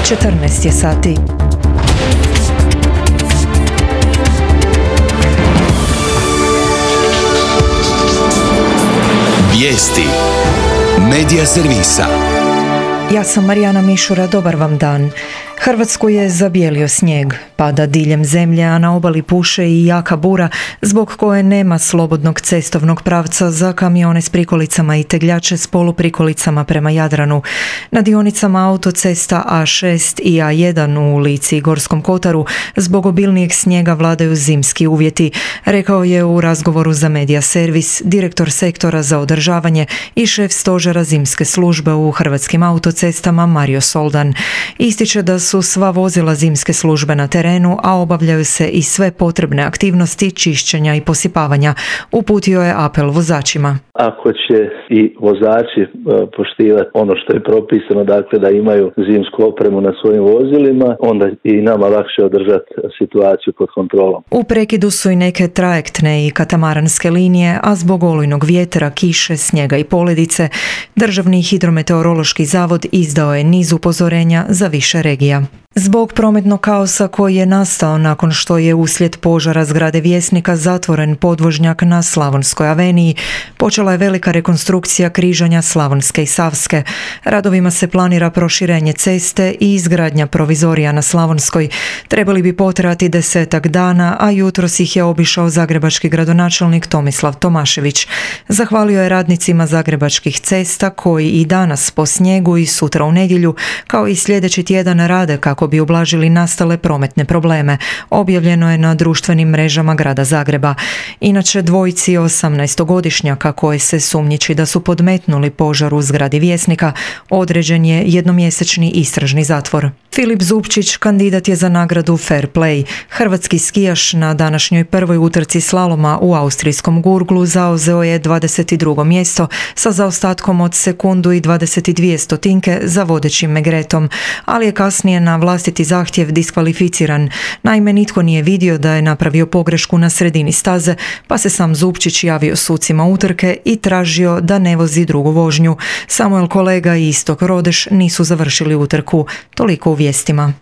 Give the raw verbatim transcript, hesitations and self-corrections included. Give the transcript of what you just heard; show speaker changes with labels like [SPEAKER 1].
[SPEAKER 1] četrnaest je sati.
[SPEAKER 2] Vijesti Medija servisa.
[SPEAKER 1] Ja sam Marijana Mišura, dobar vam dan. Hrvatsku je zabijelio snijeg, pada diljem zemlje, a na obali puše i jaka bura, zbog koje nema slobodnog cestovnog pravca za kamione s prikolicama i tegljače s poluprikolicama prema Jadranu. Na dionicama autocesta A šest i A jedan u Lici i Gorskom kotaru zbog obilnijeg snijega vladaju zimski uvjeti, rekao je u razgovoru za Medija servis direktor sektora za održavanje i šef stožera zimske službe u Hrvatskim autocestama Mario Soldan. Ističe da su sva vozila zimske službe na terenu, a obavljaju se i sve potrebne aktivnosti čišćenja i posipavanja. Uputio je apel vozačima.
[SPEAKER 3] Ako će i vozači poštivati ono što je propisano, dakle da imaju zimsku opremu na svojim vozilima, onda i nama lakše održati situaciju pod kontrolom.
[SPEAKER 1] U prekidu su i neke trajektne i katamaranske linije, a zbog olujnog vjetra, kiše, snijega i poledice, Državni hidrometeorološki zavod izdao je niz upozorenja za više regija. Zbog prometnog kaosa koji je nastao nakon što je uslijed požara zgrade Vjesnika zatvoren podvožnjak na Slavonskoj aveniji, počela je velika rekonstrukcija križanja Slavonske i Savske. Radovima se planira proširenje ceste i izgradnja provizorija na Slavonskoj. Trebali bi potrajati desetak dana, a jutros ih je obišao zagrebački gradonačelnik Tomislav Tomašević. Zahvalio je radnicima zagrebačkih cesta koji i danas po snijegu i sutra u nedjelju, kao i sljedeći tjedan rade kako bi ublažili nastale prometne probleme. Objavljeno je na društvenim mrežama grada Zagreba. Inače, dvojici osamnaestogodišnjaka koje se sumnjiči da su podmetnuli požar u zgradi Vjesnika određen je jednomjesečni istražni zatvor. Filip Zupčić kandidat je za nagradu Fair Play. Hrvatski skijaš na današnjoj prvoj utrci slaloma u austrijskom Gurglu zauzeo je dvadeset drugo mjesto sa zaostatkom od sekundu i dvadeset dvije stotinke za vodećim Megretom, ali je kasnije na vlastiti zahtjev diskvalificiran. Naime, nitko nije vidio da je napravio pogrešku na sredini staze, pa se sam Zupčić javio sucima utrke i tražio da ne vozi drugu vožnju. Samuel Kolega i Istok Rodeš nisu završili utrku. Toliko u vijestima.